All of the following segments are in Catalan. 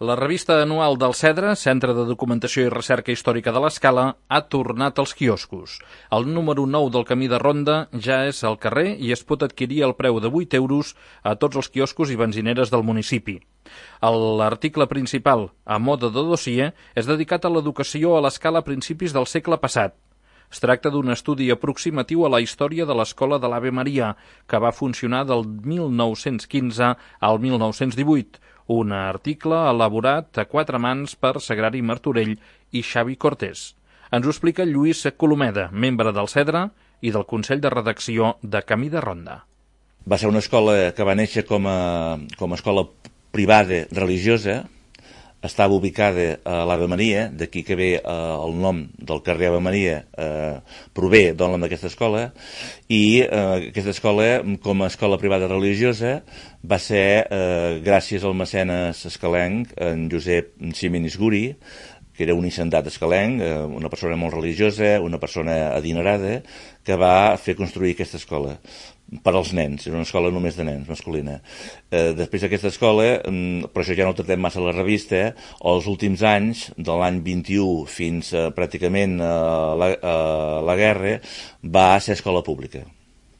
La revista anual del Cedre, Centre de Documentació i Recerca Històrica de l'Escala, ha tornat als quioscos. El número 9 del Camí de Ronda ja és al carrer i es pot adquirir al preu de 8 euros a tots els quioscos i benzineres del municipi. L'article principal, a mode de dossier, és dedicat a l'educació a l'Escala a principis del segle passat. Es tracta d'un estudi aproximatiu a la història de l'Escola de l'Ave Maria, que va funcionar del 1915 al 1918, un article elaborat a 4 mans per Sagrari Martorell i Xavi Cortés. Ens ho explica Lluís Colomeda, membre del Cedre i del Consell de Redacció de Camí de Ronda. Va ser una escola que va néixer com a escola privada religiosa. Estava ubicada a l'Ave Maria, d'aquí que ve el nom del carrer Ave Maria, prové del nom d'aquesta escola, i aquesta escola, com a escola privada religiosa, va ser gràcies al mecenes escalenc, en Josep Ximenis Guri, que era un hisendat escalenc, una persona molt religiosa, una persona adinerada, que va fer construir aquesta escola per als nens, era una escola només de nens, masculina. Després d'aquesta escola, però això ja no ho tratem massa a la revista, els últims anys, de l'any 21 fins pràcticament a la guerra, va ser escola pública.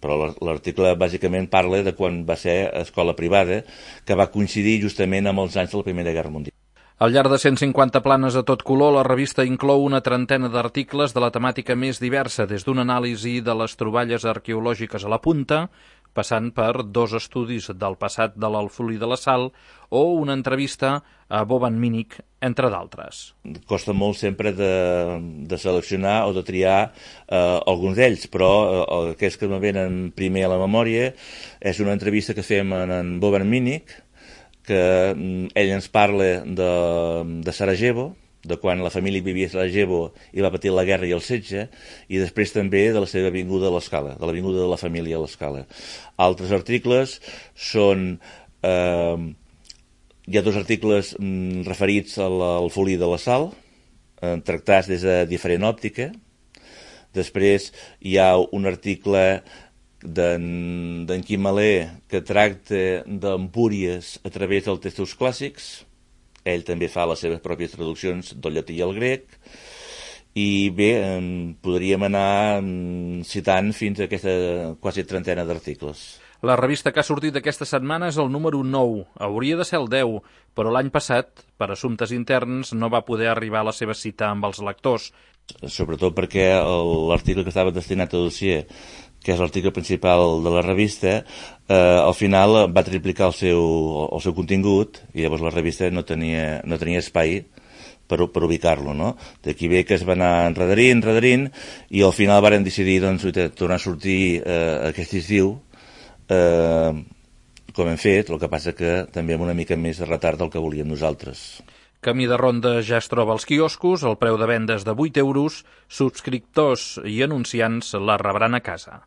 Però l'article bàsicament parla de quan va ser escola privada, que va coincidir justament amb els anys de la Primera Guerra Mundial. Al llarg de 150 planes a tot color, la revista inclou una trentena d'articles de la temàtica més diversa, des d'una anàlisi de les troballes arqueològiques a la Punta, passant per 2 estudis del passat de l'Alfolí de la Sal o una entrevista a Boban Minic, entre d'altres. Costa molt sempre de seleccionar o de triar alguns d'ells, però aquells que me venen primer a la memòria és una entrevista que fem en Boban Minic, que ell ens parla de Sarajevo, de quan la família vivia a Sarajevo i va patir la guerra i el setge, i després també de la seva vinguda a l'Escala, de la vinguda de la família a l'Escala. Altres articles són... hi ha 2 articles referits al Folí de la Sal, tractats des de diferent òptica. Després hi ha un article d'en Quim Malé, que tracta d'Empúries a través dels textos clàssics. Ell també fa les seves pròpies traduccions del llatí i el grec. I bé, podríem anar citant fins a aquesta quasi trentena d'articles. La revista que ha sortit aquesta setmana és el número 9. Hauria de ser el 10, però l'any passat, per assumptes interns, no va poder arribar a la seva cita amb els lectors. Sobretot perquè l'article que estava destinat a dossier, que és l'article principal de la revista, al final va triplicar el seu contingut, i llavors la revista no tenia espai per ubicar-lo, no? D'aquí ve que es va anar enredarint, i al final varen decidir tornar a sortir aquest estiu, com hem fet, el que passa que també amb una mica més de retard del que volíem nosaltres. Camí de Ronda ja es troba als quioscos, el preu de vendes de 8 euros, subscriptors i anunciants la rebran a casa.